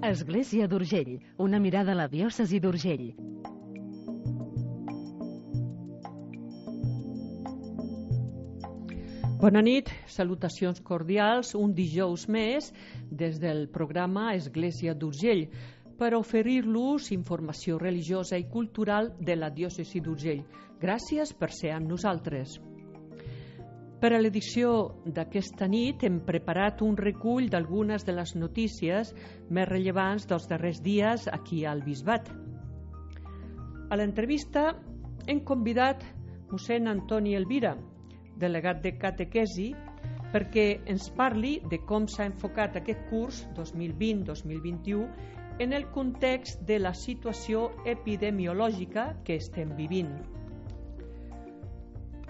Església d'Urgell, una mirada a la diòcesi d'Urgell. Bona nit, salutacions cordials, un dijous més des del programa Església d'Urgell per oferir-los informació religiosa i cultural de la diòcesi d'Urgell. Gràcies per ser amb nosaltres. Per a l'edició d'aquesta nit hem preparat un recull d'algunes de les notícies més rellevants dels darrers dies aquí al Bisbat. A l'entrevista hem convidat mossèn Antoni Elvira, delegat de catequesi, perquè ens parli de com s'ha enfocat aquest curs 2020-2021 en el context de la situació epidemiològica que estem vivint.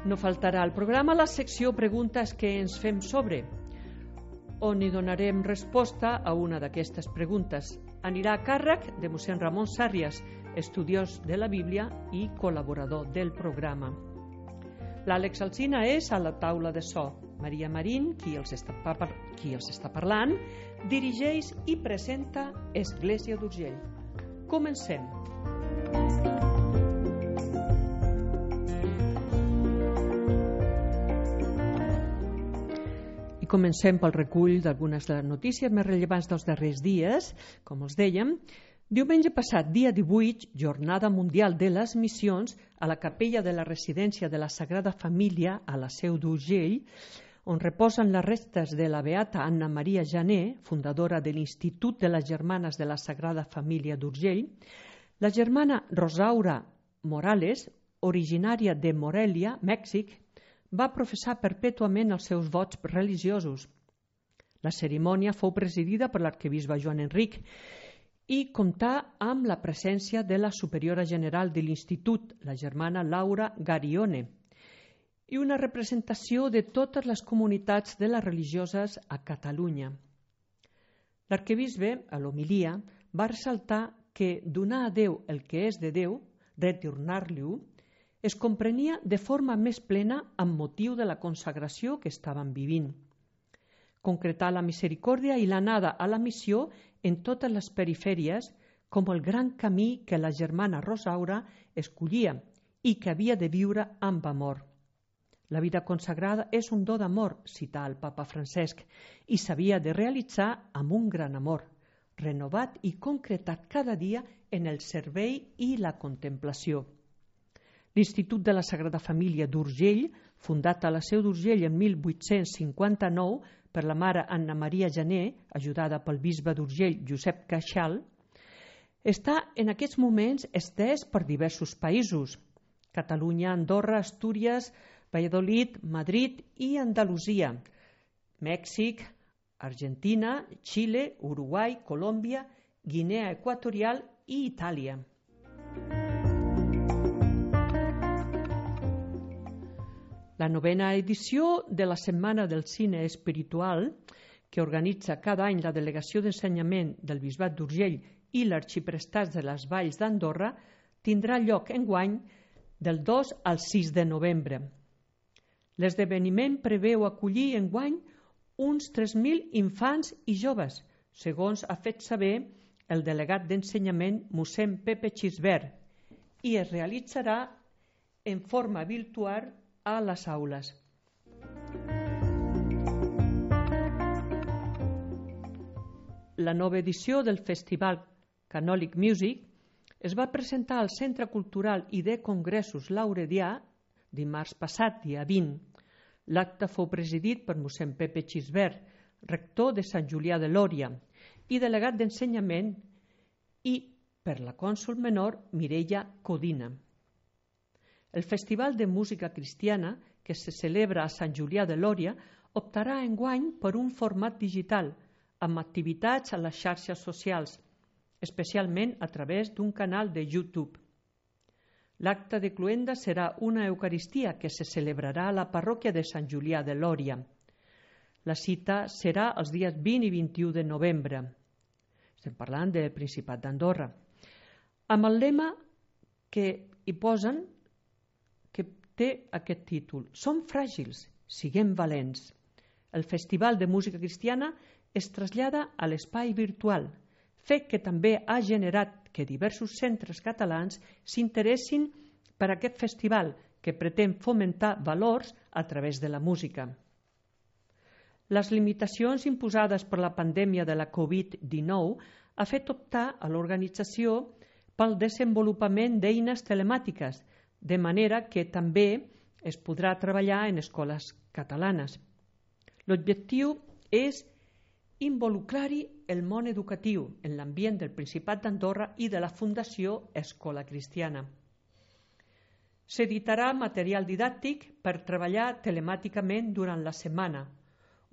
No faltarà al programa la secció Preguntes que ens fem sobre, on hi donarem resposta a una d'aquestes preguntes. Anirà a càrrec de mossèn Ramon Sàrrias, estudiós de la Bíblia i col·laborador del programa. L'Àlex Alsina és a la taula de so. Maria Marín, qui els està parlant, dirigeix i presenta Església d'Urgell. Comencem. I comencem pel recull d'algunes de les notícies més rellevants dels darrers dies. Com els dèiem, diumenge passat, dia 18, Jornada Mundial de les Missions, a la capella de la residència de la Sagrada Família a la Seu d'Urgell, on reposen les restes de la beata Anna Maria Jané, fundadora de l'Institut de les Germanes de la Sagrada Família d'Urgell, la germana Rosaura Morales, originària de Morelia, Mèxic, va professar perpètuament els seus vots religiosos. La cerimònia fou presidida per l'arquebisbe Joan Enric i comptà amb la presència de la superiora general de l'Institut, la germana Laura Garione, i una representació de totes les comunitats de les religioses a Catalunya. L'arquebisbe, a l'homilia, va ressaltar que donar a Déu el que és de Déu, retornar-li-ho, es comprenia de forma més plena amb motiu de la consagració que estaven vivint. Concretar la misericòrdia i l'anada a la missió en totes les perifèries com el gran camí que la germana Rosaura escollia i que havia de viure amb amor. La vida consagrada és un do d'amor, cità el papa Francesc, i s'havia de realitzar amb un gran amor, renovat i concretat cada dia en el servei i la contemplació. L'Institut de la Sagrada Família d'Urgell, fundat a la Seu d'Urgell en 1859 per la mare Anna Maria Jané, ajudada pel bisbe d'Urgell Josep Caixal, està en aquests moments estès per diversos països: Catalunya, Andorra, Astúries, Valladolid, Madrid i Andalusia, Mèxic, Argentina, Xile, Uruguai, Colòmbia, Guinea Equatorial i Itàlia. La 9ª edició de la Setmana del Cine Espiritual, que organitza cada any la Delegació d'Ensenyament del Bisbat d'Urgell i l'Arxiprestats de les Valls d'Andorra, tindrà lloc enguany del 2 al 6 de novembre. L'esdeveniment preveu acollir enguany uns 3.000 infants i joves, segons ha fet saber el delegat d'Ensenyament mossèn Pepe Xisbert, i es realitzarà en forma virtual a les aules. La nova edició del Festival Canòlic Music es va presentar al Centre Cultural i de Congressos Lauredià dimarts passat, dia 20. L'acte fou presidit per mossèn Pepe Xisbert, rector de Sant Julià de Lòria i delegat d'Ensenyament, i per la cònsol menor Mireia Codina. El Festival de Música Cristiana, que se celebra a Sant Julià de Lòria, optarà enguany per un format digital, amb activitats a les xarxes socials, especialment a través d'un canal de YouTube. L'acte de cloenda serà una Eucaristia que se celebrarà a la parròquia de Sant Julià de Lòria. La cita serà els dies 20 i 21 de novembre. Estem parlant del Principat d'Andorra. Amb el lema que hi posen, que té aquest títol: Som fràgils, siguem valents. El Festival de Música Cristiana es trasllada a l'espai virtual, fet que també ha generat que diversos centres catalans s'interessin per aquest festival que pretén fomentar valors a través de la música. Les limitacions imposades per la pandèmia de la Covid-19 ha fet optar a l'organització pel desenvolupament d'eines telemàtiques, de manera que també es podrà treballar en escoles catalanes. L'objectiu és involucrar-hi el món educatiu en l'ambient del Principat d'Andorra i de la Fundació Escola Cristiana. S'editarà material didàctic per treballar telemàticament durant la setmana,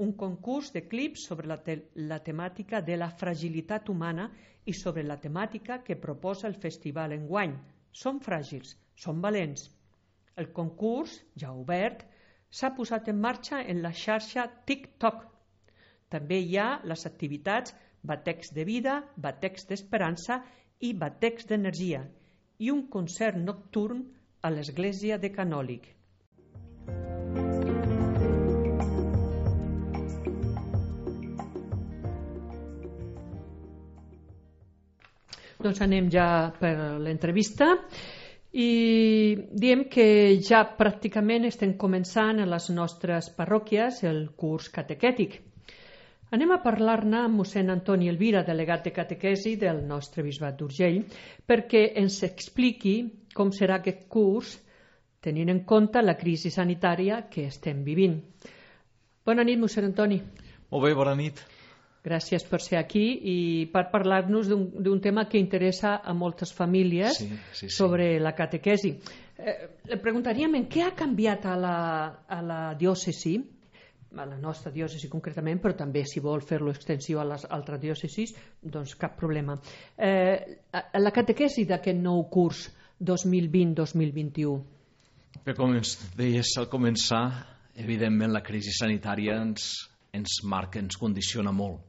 un concurs de clips sobre la temàtica de la fragilitat humana i sobre la temàtica que proposa el festival enguany. Som fràgils, som valents. El concurs, ja obert, s'ha posat en marxa en la xarxa TikTok. També hi ha les activitats Batecs de Vida, Batecs d'Esperança i Batecs d'Energia i un concert nocturn a l'església de Canòlic. Doncs anem ja per l'entrevista i diem que ja pràcticament estem començant a les nostres parròquies el curs catequètic. Anem a parlar-ne amb mossèn Antoni Elvira, delegat de catequesi del nostre bisbat d'Urgell, perquè ens expliqui com serà aquest curs tenint en compte la crisi sanitària que estem vivint. Bona nit, mossèn Antoni. Molt bé, bona nit. Gràcies per ser aquí i per parlar-nos d'un tema que interessa a moltes famílies sobre la catequesi. Le preguntaríem en què ha canviat a la diòcesi, a la nostra diòcesi concretament, però també si vol fer-lo extensiu a les altres diòcesis, doncs cap problema. La catequesi d'aquest nou curs 2020-2021. Bé, com ens deies al començar, evidentment la crisi sanitària ens marca, ens condiciona molt.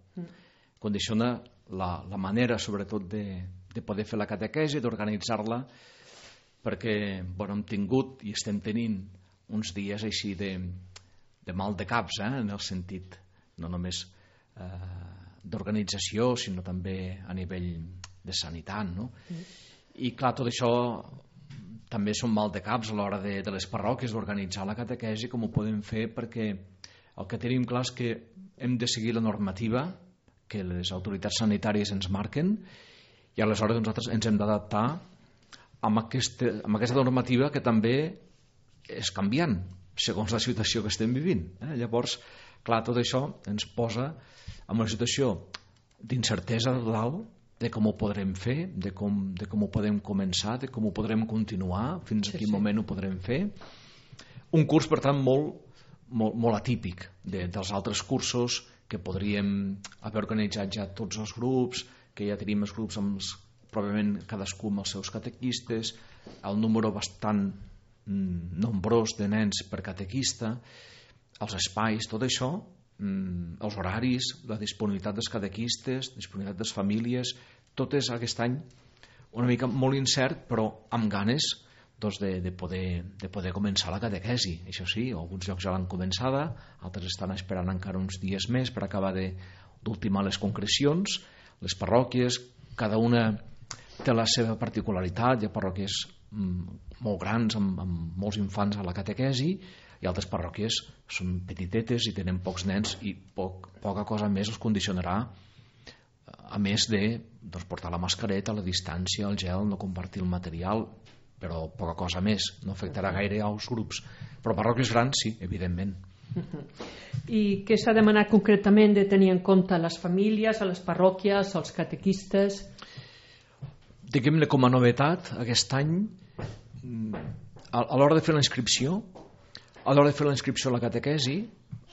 Condiciona la manera, sobretot, de poder fer la catequesi, d'organitzar-la, perquè hem tingut i estem tenint uns dies així de mal de caps, en el sentit no només d'organització, sinó també a nivell de sanitat. No? I clar, tot això també són mal de caps a l'hora de les parròquies d'organitzar la catequesi, com ho podem fer, perquè el que tenim clar és que hem de seguir la normativa que les autoritats sanitàries ens marquen i aleshores nosaltres ens hem d'adaptar amb aquesta normativa que també és canviant segons la situació que estem vivint. Llavors, clar, tot això ens posa en una situació d'incertesa total de com ho podrem fer, de com ho podem començar, de com ho podrem continuar, fins a quin moment ho podrem fer. Un curs, per tant, molt atípic dels altres cursos que podríem haver organitzat ja tots els grups, que ja tenim els grups pròpiament cadascú amb els seus catequistes, el número bastant nombrós de nens per catequista, els espais, tot això, els horaris, la disponibilitat dels catequistes, disponibilitat de les famílies, tot és aquest any una mica molt incert, però amb ganes de poder començar la catequesi. Això sí, alguns llocs ja l'han començada, altres estan esperant encara uns dies més per acabar d'ultimar les concrecions. Les parròquies, cada una té la seva particularitat. Hi ha parròquies molt grans amb molts infants a la catequesi i altres parròquies són petitetes i tenen pocs nens i poca cosa més els condicionarà, a més de portar la mascareta, la distància, el gel, no compartir el material, però poca cosa més, no afectarà gaire als grups. Però parròquies grans sí, evidentment. I què s'ha demanat concretament de tenir en compte a les famílies, a les parròquies, als catequistes? Diguem-ne com a novetat aquest any, a l'hora de fer la inscripció, a la catequesi,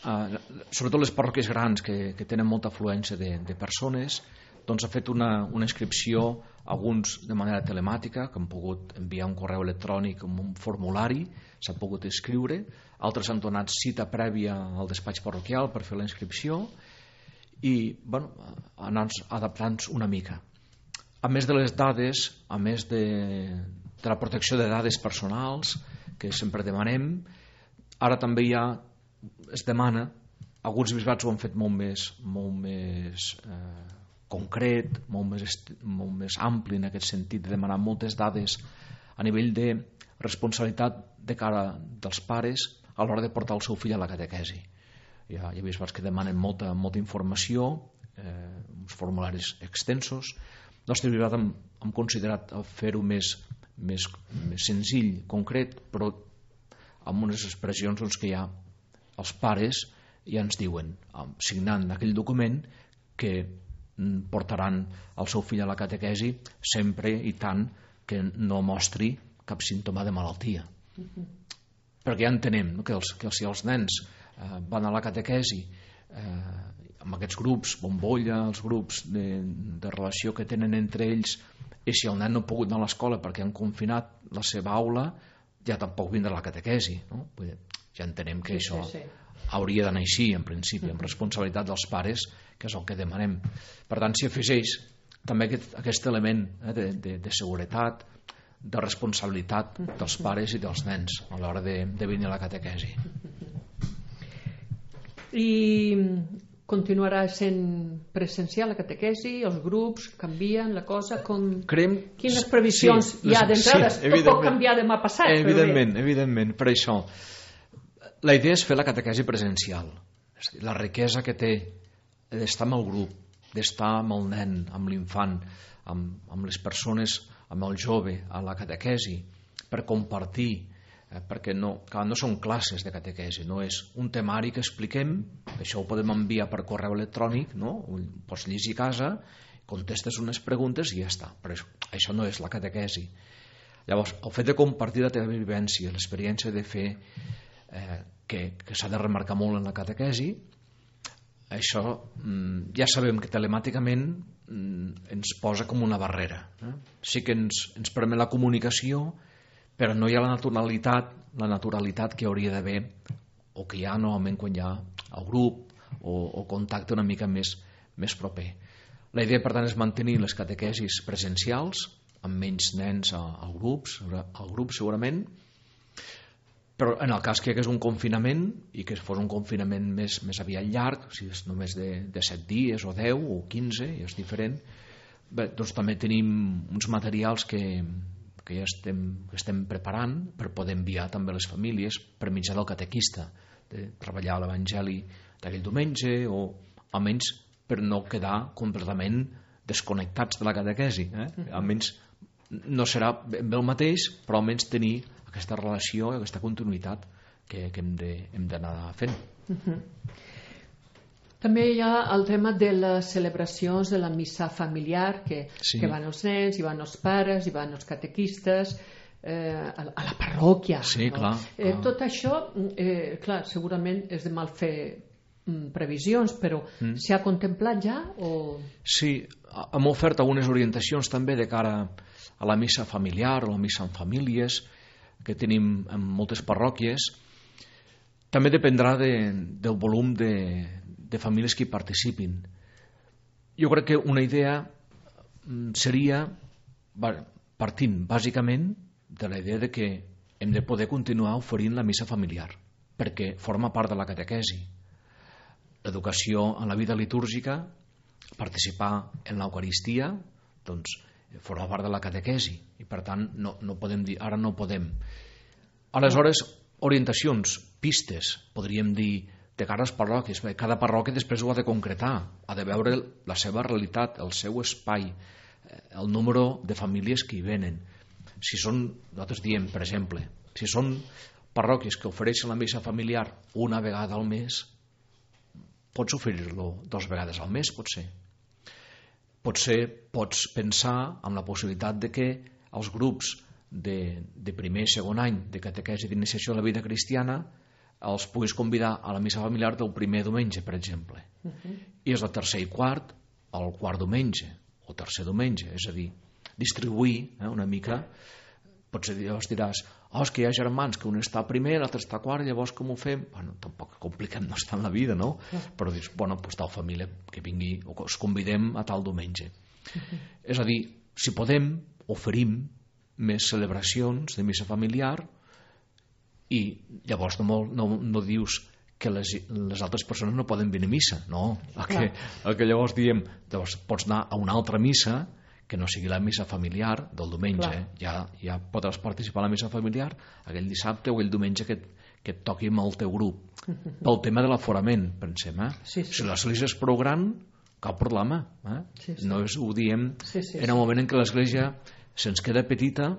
sobretot les parròquies grans que tenen molta afluència de persones, doncs ha fet una inscripció, alguns de manera telemàtica, que han pogut enviar un correu electrònic amb un formulari, s'ha pogut inscriure, altres han donat cita prèvia al despatx parroquial per fer la inscripció i anar adaptant-nos una mica. A més de les dades, a més de la protecció de dades personals, que sempre demanem, ara també es demana, alguns bisbats ho han fet molt més concret, molt més ampli en aquest sentit, de demanar moltes dades a nivell de responsabilitat de cara dels pares a l'hora de portar el seu fill a la catequesi. Ja he vist que demanen molta informació, uns formularis extensos. Nostre privat hem considerat fer-ho més senzill, concret, però amb unes expressions que ja els pares ja ens diuen, signant aquell document, que portaran el seu fill a la catequesi sempre i tant que no mostri cap símptoma de malaltia. Perquè ja entenem que si els nens van a la catequesi amb aquests grups, bombolla, els grups de relació que tenen entre ells, i si el nen no ha pogut anar a l'escola perquè han confinat la seva aula, ja tampoc vindrà a la catequesi, no? Ja entenem que això hauria d'anar així, en principi, amb responsabilitat dels pares, que és el que demanem. Per tant, s'hi afegeix també aquest element de seguretat, de responsabilitat dels pares i dels nens a l'hora de venir a la catequesi. I continuarà sent presencial la catequesi? Els grups canvien la cosa? Quines previsions hi ha d'entrada? Tot pot canviar demà passat. Evidentment, per això la idea és fer la catequesi presencial. La riquesa que té d'estar amb el grup, d'estar amb el nen, amb l'infant, amb les persones, amb el jove a la catequesi, per compartir, perquè no són classes de catequesi, no és un temari que expliquem, això ho podem enviar per correu electrònic, no? Ho pots llegir a casa, contestes unes preguntes i ja està, però això no és la catequesi. Llavors, el fet de compartir la teva vivència, l'experiència de fer, que s'ha de remarcar molt en la catequesi, això ja sabem que telemàticament ens posa com una barrera. Sí que ens permet la comunicació, però no hi ha la naturalitat que hauria d'haver, o que hi ha normalment quan hi ha el grup o contacte una mica més proper. La idea, per tant, és mantenir les catequesis presencials, amb menys nens al grup segurament, però en el cas que hi hagués un confinament i que fos un confinament més aviat llarg, si és només de 7 dies o 10 o 15, ja és diferent, bé, doncs també tenim uns materials que ja estem preparant per poder enviar també a les famílies per mitjà del catequista, de treballar l'Evangeli d'aquell diumenge, o almenys per no quedar completament desconnectats de la catequesi. Almenys no serà ben bé el mateix, però almenys tenir aquesta relació, aquesta continuïtat que hem d'anar fent. També hi ha el tema de les celebracions de la missa familiar, que van els nens, hi van els pares, hi van els catequistes, a la parròquia. Sí, clar. Tot això, clar, segurament és de mal fer previsions, però s'hi ha contemplat ja? Sí, hem ofert algunes orientacions també de cara a la missa familiar o la missa en famílies, que tenim en moltes parròquies. També dependrà del volum de famílies que hi participin. Jo crec que una idea seria, partint bàsicament de la idea de que hem de poder continuar oferint la missa familiar, perquè forma part de la catequesi. L'educació en la vida litúrgica, participar en l'Eucaristia, doncs forma part de la catequesi, i per tant no podem dir, ara no podem. Aleshores, orientacions, pistes, podríem dir, de cara a les parròquies. Cada parròquia després ho ha de concretar, ha de veure la seva realitat, el seu espai, el número de famílies que hi venen. Si són, nosaltres diem, per exemple, si són parròquies que ofereixen la missa familiar una vegada al mes, pots oferir-lo 2 vegades al mes, potser. Potser pots pensar en la possibilitat de que els grups de primer i segon any de catequesi d'iniciació a la vida cristiana els puguis convidar a la missa familiar del primer diumenge, per exemple. I és el tercer i quart, el quart diumenge, o tercer diumenge, és a dir, distribuir una mica. Potser diràs, és que hi ha germans que un està primer, l'altre està quart, llavors com ho fem? Bueno, tampoc compliquem no estar en la vida, no? Però dius, bueno, doncs tal família que vingui, o que us convidem a tal diumenge. És a dir, si podem, oferim més celebracions de missa familiar, i llavors no dius que les altres persones no poden venir a missa. No, el que llavors diem, doncs pots anar a una altra missa que no sigui la missa familiar del diumenge. Ja podràs participar a la missa familiar aquell dissabte o aquell diumenge que et toqui amb el teu grup. Pel tema de l'aforament, pensem. Si l'església és prou gran, cap problema. No ho diem en el moment en què l'església se'ns queda petita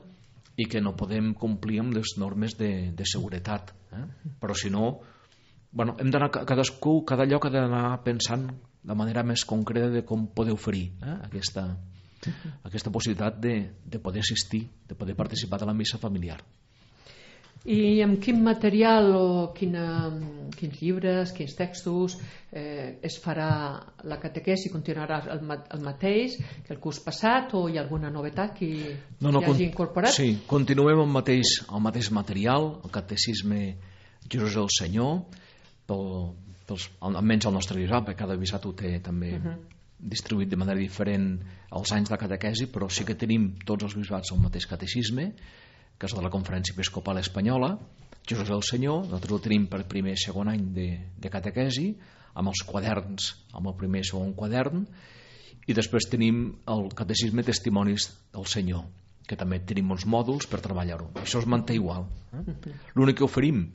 i que no podem complir amb les normes de seguretat. Però si no, hem d'anar cadascú, cada lloc ha d'anar pensant de manera més concreta de com poder oferir aquesta possibilitat de poder assistir, de poder participar de la missa familiar. I amb quin material o quins llibres, quins textos es farà la catequesi? Continuarà el mateix que el curs passat o hi ha alguna novetat que hi hagi incorporat? Sí, continuem amb el mateix material, el catecisme Jesús el Senyor, almenys el nostre bisbat, perquè cada bisbat ho té també distribuït de manera diferent als anys de catequesi, però sí que tenim tots els bisbats el mateix catecisme, que és de la Conferència Episcopal Espanyola, Jesús el Senyor. Nosaltres el tenim per primer i segon any de catequesi, amb els quaderns, amb el primer i segon quadern, i després tenim el catecisme Testimonis del Senyor, que també tenim uns mòduls per treballar-ho. Això es manté igual. L'únic que oferim,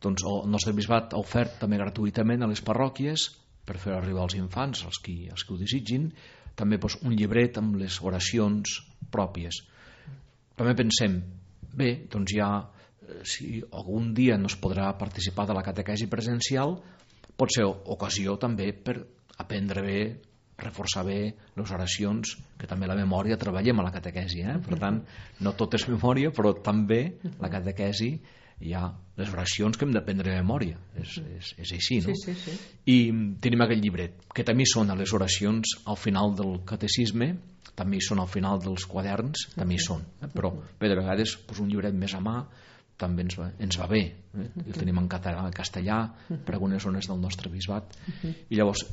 doncs el nostre bisbat ha ofert també gratuïtament a les parròquies per fer arribar als infants, els que ho desitgin, també un llibret amb les oracions pròpies. També pensem, bé, doncs si algun dia no es podrà participar de la catequesi presencial, pot ser ocasió també per aprendre bé, reforçar bé les oracions, que també la memòria treballem a la catequesi. Per tant, no tot és memòria, però també la catequesi hi ha les oracions que hem d'aprendre de memòria. És així, no? Sí. I tenim aquest llibret, que també són a les oracions al final del catecisme, també hi són al final dels quaderns, també hi són. Però bé, de vegades un llibret més a mà també ens va bé. El tenim en català, en castellà, per algunes zones del nostre bisbat. I llavors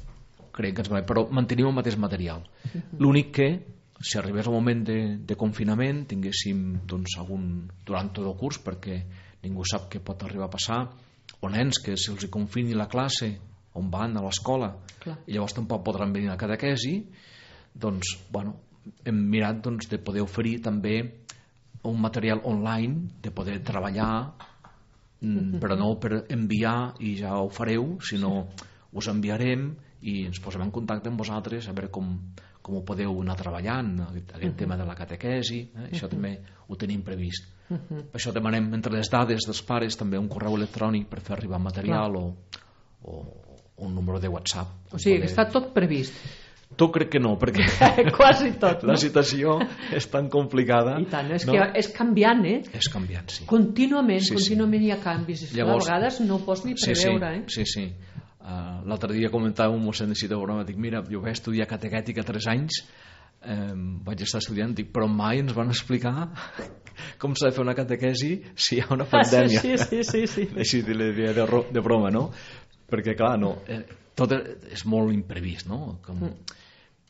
crec que ens va bé, però mantenim el mateix material. L'únic que, si arribés el moment de confinament, tinguéssim durant tot el curs, perquè ningú sap què pot arribar a passar, o nens que se'ls confini la classe on van a l'escola i llavors tampoc podran venir a la catequesi, doncs, hem mirat de poder oferir també un material online, de poder treballar, però no per enviar i ja ho fareu, sinó us enviarem i ens posem en contacte amb vosaltres a veure com ho podeu anar treballant, aquest tema de la catequesi. Això també ho tenim previst. Per això demanem entre les dades dels pares també un correu electrònic per fer arribar material o un número de WhatsApp. O sigui, que està tot previst. Tu crec que no, perquè quasi tot, la situació és tan complicada. I tant, que és canviant, És canviant, sí. Contínuament hi ha canvis. Llavors, a vegades no pots ni preveure, Sí. L'altre dia comentàvem amb mossèn de Citabona, dic, mira, jo vaig estudiar catequètica 3 anys, vaig estar estudiant, dic, però mai ens van explicar com s'ha de fer una catequesi si hi ha una pandèmia. Sí. Així de broma, no? Perquè, clar, tot és molt imprevist, no?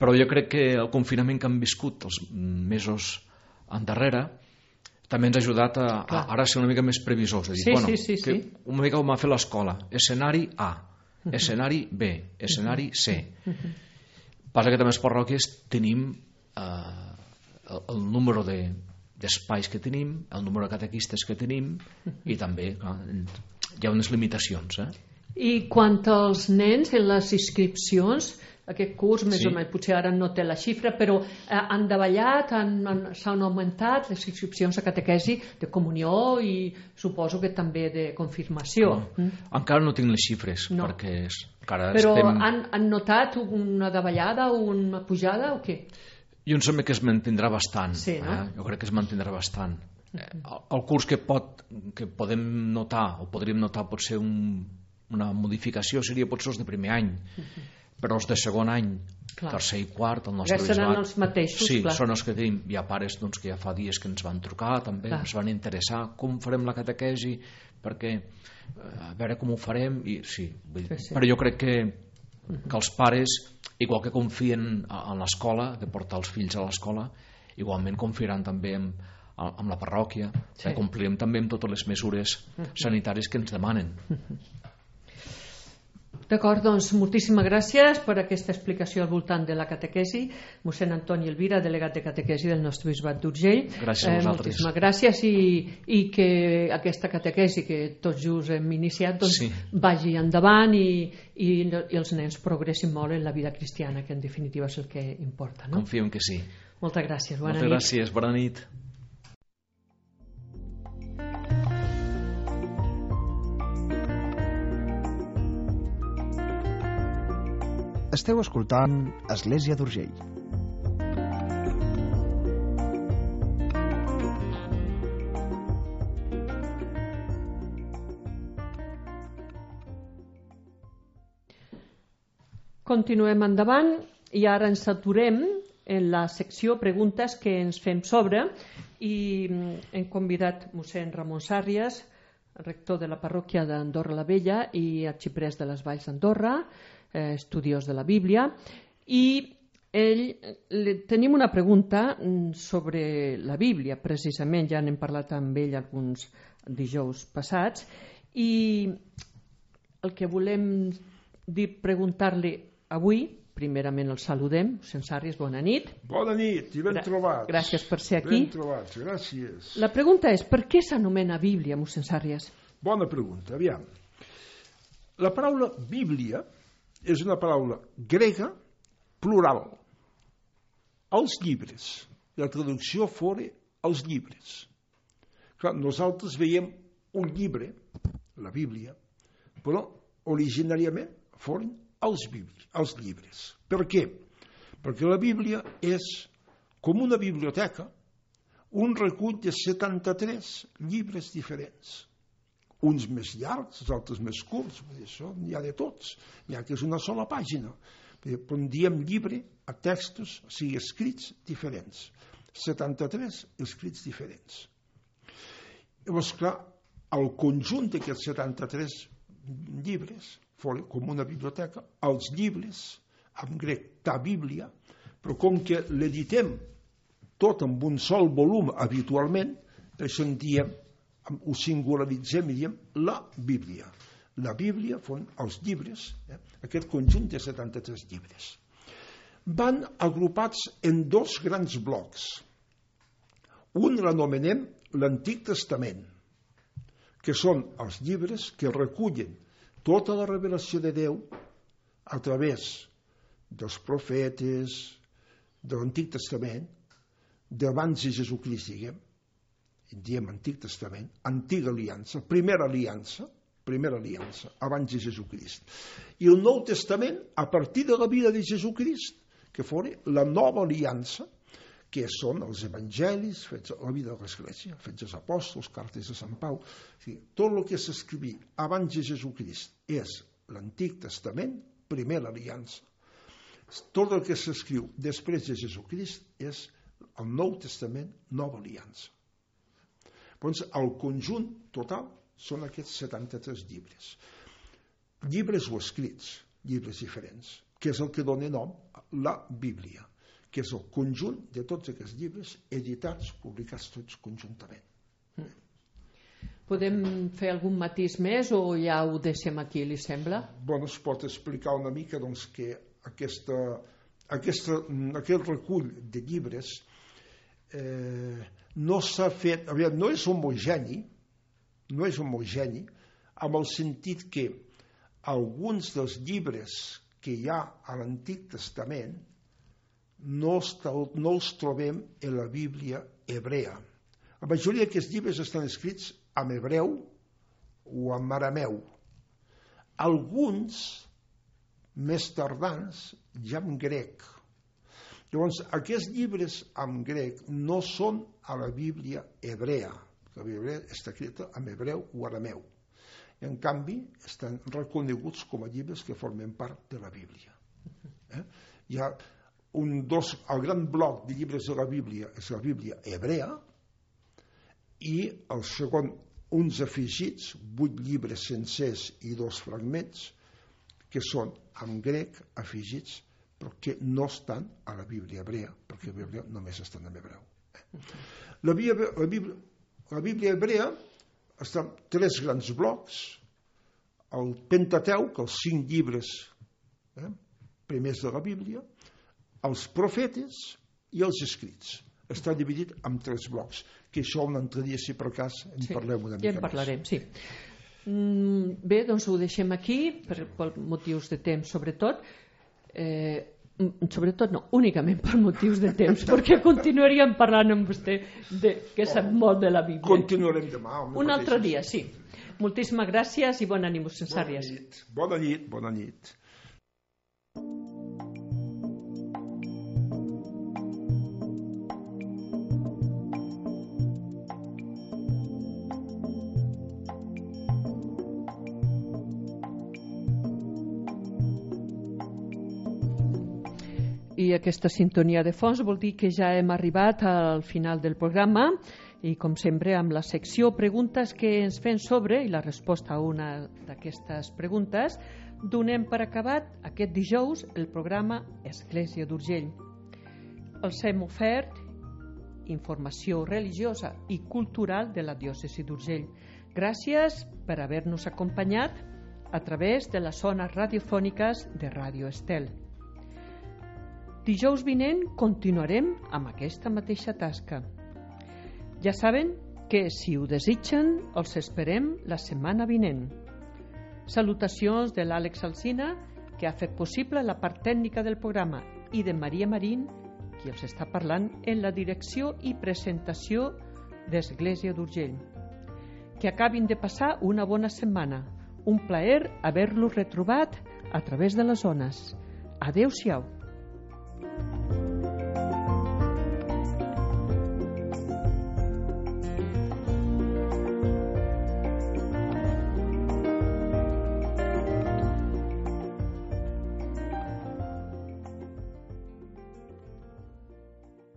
Però jo crec que el confinament que han viscut els mesos endarrere també ens ha ajudat a ara ser una mica més previsors, de dir, una mica com ha fet l'escola, escenari A, escenari B, escenari C. Passa que també les parròquies tenim el número d'espais que tenim, el número de catequistes que tenim, i també hi ha unes limitacions. I quant als nens en les inscripcions, aquest curs més o menys, potser ara no té la xifra, però han davallat, s'han augmentat les inscripcions a catequesi de comunió i suposo que també de confirmació. Encara no tinc les xifres, perquè però han notat una davallada o una pujada o què? Jo em sembla que es mantindrà bastant. Sí, no? Jo crec que es mantindrà bastant. El curs que podem notar o podríem notar pot ser una modificació, seria potser els de primer any, però els de segon any, tercer i quart, el nostre bisbat seran els mateixos, sí, són els que tenim. Hi ha pares que ja fa dies que ens van trucar també, ens van interessar com farem la catequesi, perquè a veure com ho farem, i sí. Però jo crec que els pares, igual que confien en l'escola, de portar els fills a l'escola, igualment confiaran també amb la parròquia, complirem també amb totes les mesures sanitàries que ens demanen. D'acord, doncs moltíssimes gràcies per aquesta explicació al voltant de la catequesi. Mossèn Antoni Elvira, delegat de catequesi del nostre bisbat d'Urgell. Gràcies a vosaltres. Moltíssimes gràcies i que aquesta catequesi que tots just hem iniciat doncs, vagi endavant i els nens progressin molt en la vida cristiana, que en definitiva és el que importa. No? Confiem que sí. Moltes gràcies, bona nit. Moltes gràcies, bona nit. Esteu escoltant Església d'Urgell. Continuem endavant i ara ens aturem en la secció preguntes que ens fem sobre i hem convidat mossèn Ramon Sàrries, rector de la parròquia d'Andorra la Vella i arxiprès de les Valls d'Andorra, estudiós de la Bíblia, i tenim una pregunta sobre la Bíblia, precisament, ja n'hem parlat amb ell alguns dijous passats, i el que volem preguntar-li avui, primerament el saludem, mossèn Sàrries, bona nit. Bona nit i ben trobats. Gràcies per ser aquí. Ben trobats, gràcies. La pregunta és, per què s'anomena Bíblia, mossèn Sàrries? Bona pregunta, aviam. La paraula Bíblia és una paraula grega plural. Els llibres. La traducció fora els llibres. Clar, nosaltres veiem un llibre, la Bíblia, però originàriament foren els llibres. Per què? Perquè la Bíblia és com una biblioteca, un recull de 73 llibres diferents. Uns més llargs, els altres més curts, això n'hi ha de tots, n'hi ha que és una sola pàgina. Però en diem llibre a textos, o sigui, escrits diferents. 73 escrits diferents. Llavors, clar, el conjunt d'aquests 73 llibres, com una biblioteca, els llibres, en grec, ta Bíblia, però com que l'editem tot amb un sol volum habitualment, per això en diem, ho singularitzem i diem la Bíblia. La Bíblia són els llibres, aquest conjunt de 73 llibres. Van agrupats en dos grans blocs. Un l'anomenem l'Antic Testament, que són els llibres que recullen tota la revelació de Déu a través dels profetes, de l'Antic Testament, d'abans de Jesucrist, diem Antic Testament, Antiga Aliança, Primera Aliança, abans de Jesucrist. I el Nou Testament, a partir de la vida de Jesucrist, que fora la Nova Aliança, que són els evangelis, fets a la vida de l'Església, fets als apòstols, cartes de Sant Pau. Tot el que s'escrivia abans de Jesucrist és l'Antic Testament, Primera Aliança. Tot el que s'escriu després de Jesucrist és el Nou Testament, Nova Aliança. Doncs el conjunt total són aquests 73 llibres. Llibres o escrits, llibres diferents, que és el que dona nom a la Bíblia, que és el conjunt de tots aquests llibres editats, publicats tots conjuntament. Podem fer algun matís més o ja ho deixem aquí, li sembla? Bueno, es pot explicar una mica doncs, que aquest recull de llibres no s'ha fet, no és homogeni, amb el sentit que alguns dels llibres que hi ha a l'Antic Testament no els trobem en la Bíblia hebrea. La majoria d'aquests llibres estan escrits en hebreu o en arameu. Alguns, més tardans, ja en grec. Llavors, aquests llibres en grec no són a la Bíblia hebrea. La Bíblia està escrita en hebreu o arameu. En canvi, estan reconeguts com a llibres que formen part de la Bíblia. Hi ha el gran bloc de llibres de la Bíblia és la Bíblia hebrea i el segon, uns afegits, 8 llibres sencers i 2 fragments, que són en grec afegits, però que no estan a la Bíblia hebrea, perquè la Bíblia només està en hebreu. La Bíblia hebrea està en 3 grans blocs. el Pentateuc, els 5 llibres primers de la Bíblia, els profetes i els escrits. Està dividit en 3 blocs, que això un altre dia, si per cas, en parlem una mica ja en parlarem, més. Sí. Bé, doncs ho deixem aquí, per motius de temps, sobretot. Sobretot no, únicament per motius de temps, perquè continuaríem parlant amb vostè, que sap molt de la Bíblia. Continuarem demà. Un altre dia, sí. Moltíssimes gràcies i bona nit, mossèn Sàrries. Bona nit, bona nit. I aquesta sintonia de fons vol dir que ja hem arribat al final del programa i, com sempre, amb la secció preguntes que ens fem sobre i la resposta a una d'aquestes preguntes, donem per acabat aquest dijous el programa Església d'Urgell. Els hem ofert informació religiosa i cultural de la diòcesi d'Urgell. Gràcies per haver-nos acompanyat a través de les zones radiofòniques de Ràdio Estel. Dijous vinent continuarem amb aquesta mateixa tasca. Ja saben que, si ho desitgen, els esperem la setmana vinent. Salutacions de l'Àlex Alsina, que ha fet possible la part tècnica del programa, i de Maria Marín, qui els està parlant en la direcció i presentació d'Església d'Urgell. Que acabin de passar una bona setmana. Un plaer haver-los retrobat a través de les ones. Adéu-siau.